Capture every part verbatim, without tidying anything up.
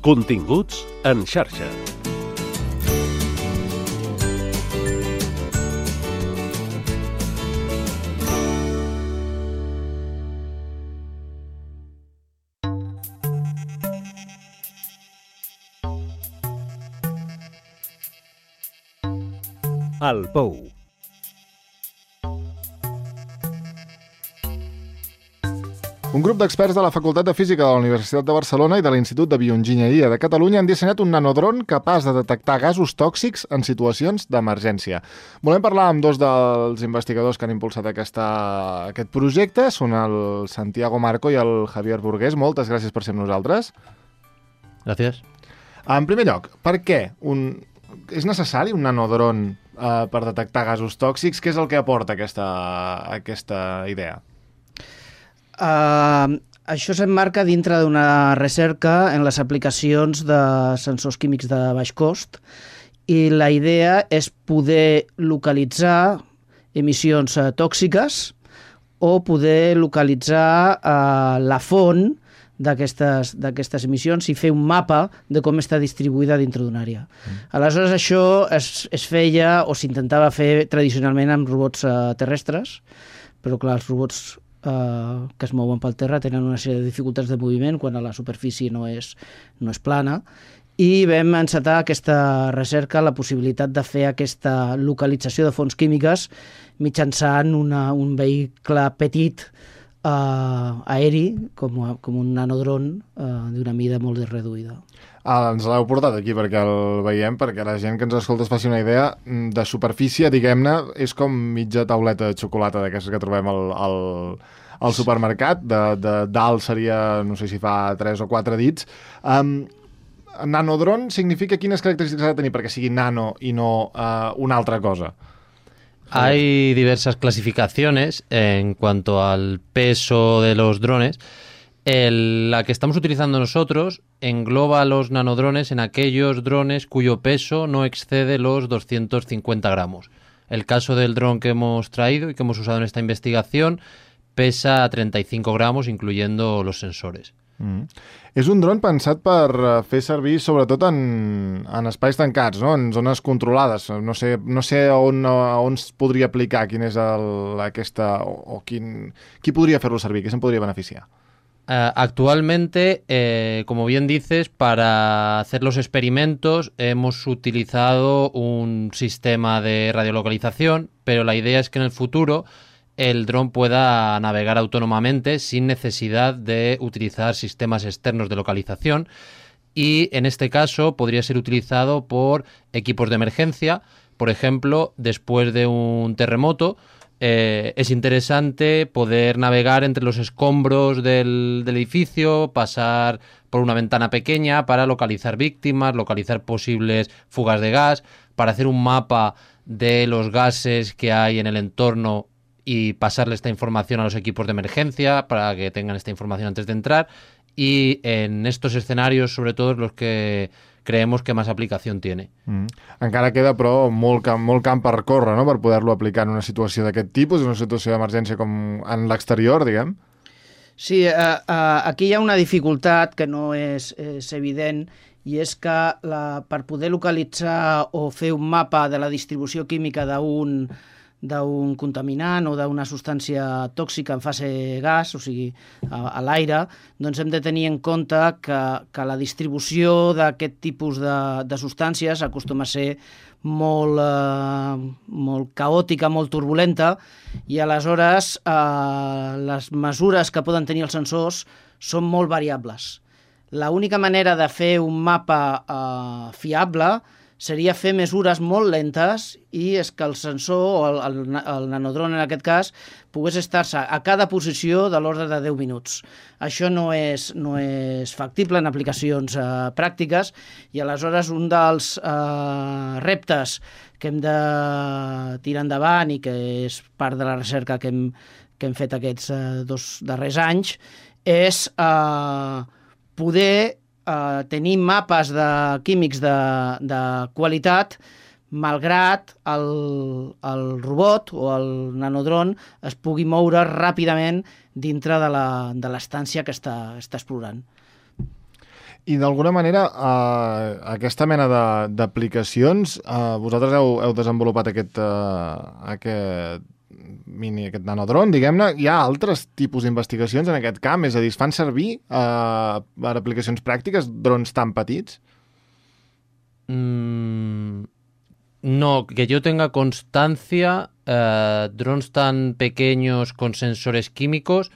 Continguts en xarxa. El Pou. Un grup d'experts de la Facultat de Física de la Universitat de Barcelona i de l'Institut de Bioenginyeria de Catalunya han dissenyat un nanodron capaç de detectar gasos tòxics en situacions d'emergència. Volem parlar amb dos dels investigadors que han impulsat aquesta, aquest projecte. Són el Santiago Marco i el Javier Burgués. Moltes gràcies per ser amb nosaltres. Gràcies. En primer lloc, per què un... és necessari un nanodron eh, per detectar gasos tòxics? Què és el que aporta aquesta, aquesta idea? Uh, això s'emmarca dintre d'una recerca en les aplicacions de sensors químics de baix cost i la idea és poder localitzar emissions uh, tòxiques o poder localitzar uh, la font d'aquestes d'aquestes emissions i fer un mapa de com està distribuïda dintre d'una àrea. Mm. Aleshores, això es, es feia o s'intentava fer tradicionalment amb robots uh, terrestres, però clar, els robots Uh, que es mouen pel terra tenen una sèrie de dificultats de moviment quan a la superfície no és, no és plana, i vam encetar aquesta recerca la possibilitat de fer aquesta localització de fonts químiques mitjançant una, un vehicle petit uh, aeri com, com un nanodron uh, d'una mida molt reduïda. Ah, ens l'heu portat aquí perquè el veiem, perquè la gent que ens escolta es faci una idea de superfície, diguem-ne, és com mitja tauleta de xocolata d'aquestes que trobem al, al, al supermercat, de, de dalt seria, no sé si fa tres o quatre dits. Um, nanodron significa quines característiques ha de tenir perquè sigui nano i no uh, una altra cosa? Hay diversas clasificaciones en cuanto al peso de los drones. El, la que estamos utilizando nosotros engloba los nanodrones en aquellos drones cuyo peso no excede los doscientos cincuenta gramos. El caso del dron que hemos traído y que hemos usado en esta investigación pesa treinta y cinco gramos, incluyendo los sensores. Mm. És un dron pensat per fer servir sobretot en, en espais tancats, no? En zones controlades. No sé, no sé on, on es podria aplicar, quin és el, aquesta, o, o quin, qui podria fer-lo servir, qui se'n podria beneficiar? Uh, actualmente, eh, como bien dices, para hacer los experimentos hemos utilizado un sistema de radiolocalización, pero la idea es que en el futuro el dron pueda navegar autónomamente sin necesidad de utilizar sistemas externos de localización y en este caso podría ser utilizado por equipos de emergencia. Por ejemplo, después de un terremoto, Eh, es interesante poder navegar entre los escombros del, del edificio, pasar por una ventana pequeña para localizar víctimas, localizar posibles fugas de gas, para hacer un mapa de los gases que hay en el entorno y pasarle esta información a los equipos de emergencia para que tengan esta información antes de entrar. Y en estos escenarios, sobre todo, los que creemos que más aplicación tiene. Mm. Encara queda, però, molt camp, molt camp per córrer, no?, per poder-lo aplicar en una situació d'aquest tipus, en una situació d'emergència com en l'exterior, diguem. Sí, uh, uh, aquí hi ha una dificultat que no és, és evident, i és que la, per poder localitzar o fer un mapa de la distribució química d'un d'un contaminant o d'una substància tòxica en fase gas, o sigui, a, a l'aire, doncs hem de tenir en compte que, que la distribució d'aquest tipus de, de substàncies acostuma a ser molt, eh, molt caòtica, molt turbulenta, i aleshores eh, les mesures que poden tenir els sensors són molt variables. L'única manera de fer un mapa eh, fiable seria fer mesures molt lentes i és que el sensor, o el, el, el nanodron en aquest cas, pogués estar-se a cada posició de l'ordre de deu minuts. Això no és, no és factible en aplicacions eh, pràctiques, i aleshores un dels eh, reptes que hem de tirar endavant i que és part de la recerca que hem, que hem fet aquests eh, dos darrers anys és eh, poder Uh, tenir mapes de químics de, de qualitat malgrat el, el robot o el nanodron es pugui moure ràpidament dintre de la, de l'estància que està, està explorant. I d'alguna manera, eh, aquesta mena de- d'aplicacions, eh, vosaltres heu, heu desenvolupat aquest, eh, aquest mini, aquest nanodron, diguem-ne. Hi ha altres tipus d'investigacions en aquest camp? És a dir, es fan servir eh, per aplicacions pràctiques drons tan petits? Mm, no, que yo tenga constancia, eh, drones tan pequeños con sensores químicos,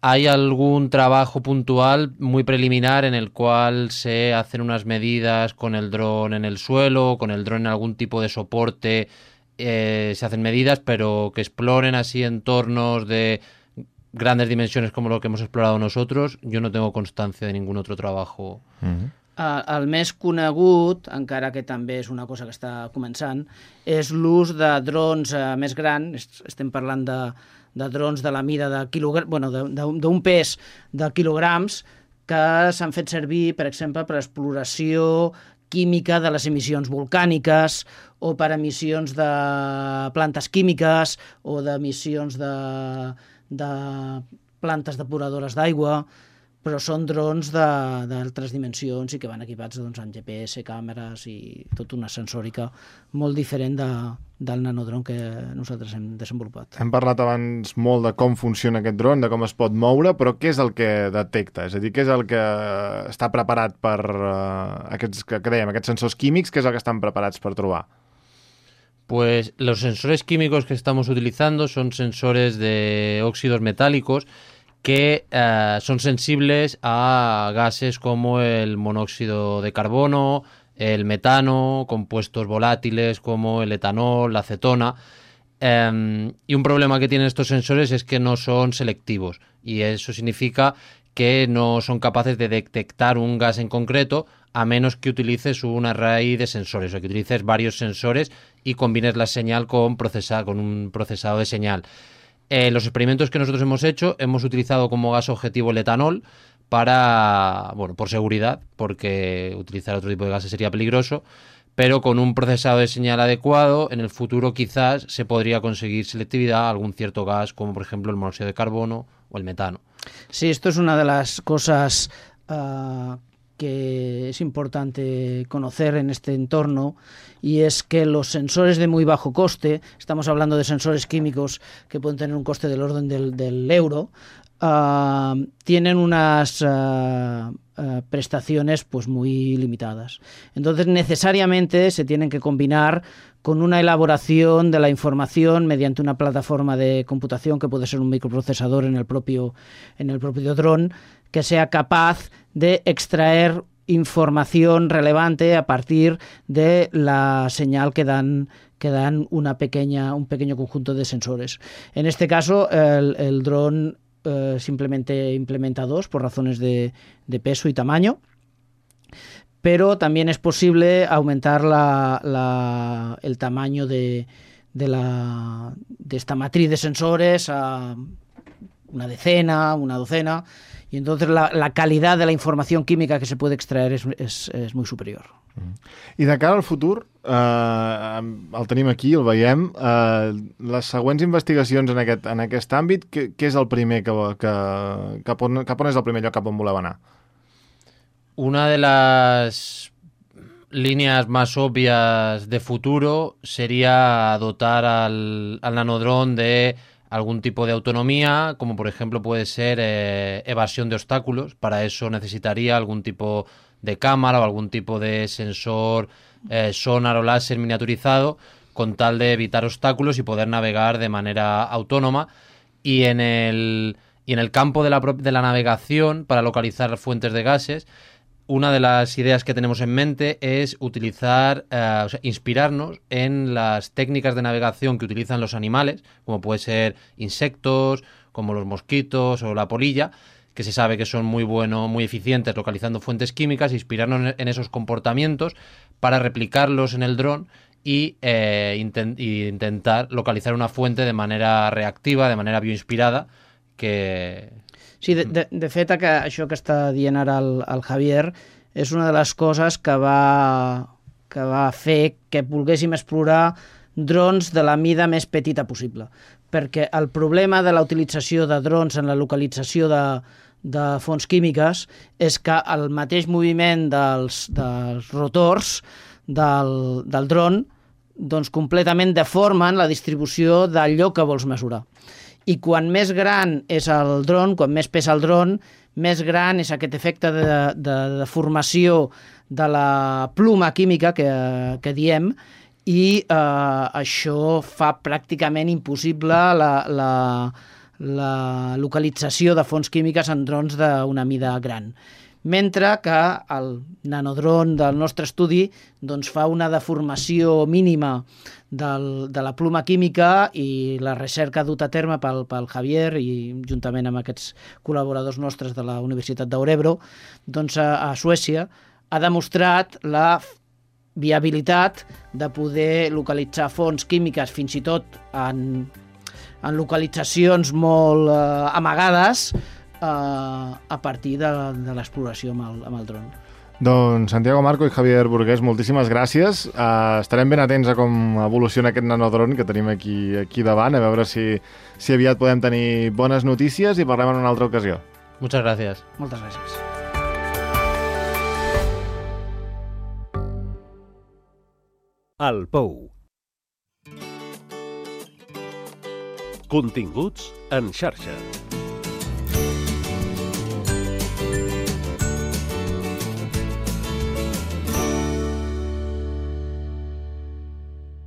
hay algún trabajo puntual muy preliminar en el cual se hacen unas medidas con el dron en el suelo, con el dron en algún tipo de soporte, eh, se hacen medidas, pero que exploren así entornos de grandes dimensiones como lo que hemos explorado nosotros, yo no tengo constancia de ningún otro trabajo. Mm-hmm. Uh, el més conegut, encara que també és una cosa que està començant, és l'ús de drons uh, més grans. Estem parlant de, de drons de la mida de quilograms, bueno, d'un pes de quilograms, que s'han fet servir, per exemple, per exploració química de les emissions volcàniques o per emissions de plantes químiques o d'emissions de, de plantes depuradores d'aigua, però són drons d'altres dimensions i que van equipats doncs, amb G P S, càmeres i tota una sensòrica molt diferent de, del nanodron que nosaltres hem desenvolupat. Hem parlat abans molt de com funciona aquest dron, de com es pot moure, però què és el que detecta? És a dir, què és el que està preparat per uh, aquests, que, que dèiem, aquests sensors químics, què és el que estan preparats per trobar? Pues los sensores químicos que estamos utilizando son sensores de óxidos metálicos que eh, son sensibles a gases como el monóxido de carbono, el metano, compuestos volátiles como el etanol, la acetona. Eh, y un problema que tienen estos sensores es que no son selectivos, y eso significa que no son capaces de detectar un gas en concreto a menos que utilices un array de sensores, o que utilices varios sensores y combines la señal con, procesa, con un procesado de señal. Eh, los experimentos que nosotros hemos hecho, hemos utilizado como gas objetivo el etanol para, bueno, por seguridad, porque utilizar otro tipo de gases sería peligroso, pero con un procesado de señal adecuado, en el futuro quizás se podría conseguir selectividad a algún cierto gas, como por ejemplo el monóxido de carbono o el metano. Sí, esto es una de las cosas uh, que es importante conocer en este entorno, y es que los sensores de muy bajo coste, estamos hablando de sensores químicos que pueden tener un coste del orden del, del euro, uh, tienen unas uh, uh, prestaciones pues muy limitadas. Entonces necesariamente se tienen que combinar con una elaboración de la información mediante una plataforma de computación que puede ser un microprocesador en el propio, en el propio dron, que sea capaz de extraer información relevante a partir de la señal que dan, que dan una pequeña, un pequeño conjunto de sensores. En este caso, el, el dron eh, simplemente implementa dos por razones de, de peso y tamaño, pero también es posible aumentar la, la, el tamaño de, de, la, de esta matriz de sensores a una decena, una docena, y entonces la, la calidad de la información química que se puede extraer es, es, es muy superior. I de cara al futur, eh, el tenim aquí, el veiem, eh, les següents investigacions en aquest, en aquest àmbit, què, què és el primer que, que, cap, on, cap on és el primer lloc cap on voleu anar? Una de las líneas más obvias de futuro sería dotar al, al nanodron de algún tipo de autonomía, como por ejemplo puede ser eh, evasión de obstáculos. Para eso necesitaría algún tipo de cámara o algún tipo de sensor eh, sonar o láser miniaturizado, con tal de evitar obstáculos y poder navegar de manera autónoma. Y en el, y en el campo de la, de la navegación, para localizar fuentes de gases, una de las ideas que tenemos en mente es utilizar, eh, o sea, inspirarnos en las técnicas de navegación que utilizan los animales, como puede ser insectos, como los mosquitos o la polilla, que se sabe que son muy buenos, muy eficientes localizando fuentes químicas, inspirarnos en esos comportamientos para replicarlos en el dron y, eh, intent- y intentar localizar una fuente de manera reactiva, de manera bioinspirada, que... Sí, de, de, de fet, que això que està dient ara el, el Javier és una de les coses que va, que va fer que volguéssim explorar drons de la mida més petita possible. Perquè el problema de la utilització de drons en la localització de, de fonts químiques és que el mateix moviment dels, dels rotors del, del dron doncs completament deformen la distribució del lloc que vols mesurar. I quan més gran és el dron, quan més pesa el dron, més gran és aquest efecte de, de, de deformació de la pluma química que, que diem, i eh, això fa pràcticament impossible la, la, la localització de fonts químiques en drons d'una mida gran. Mentre que el nanodron del nostre estudi doncs, fa una deformació mínima del, de la pluma química, i la recerca duta a terme pel, pel Javier i juntament amb aquests col·laboradors nostres de la Universitat d'Örebro, doncs a, a Suècia, ha demostrat la viabilitat de poder localitzar fonts químiques fins i tot en, en localitzacions molt eh, amagades eh, a partir de, de l'exploració amb el, amb el dron. Doncs Santiago Marco i Javier Burgués, moltíssimes gràcies. Uh, estarem ben atents a com evoluciona aquest nanodron que tenim aquí, aquí davant, a veure si, si aviat podem tenir bones notícies i parlem en una altra ocasió. Muchas gracias. Moltes gràcies. El Pou. Continguts en xarxa.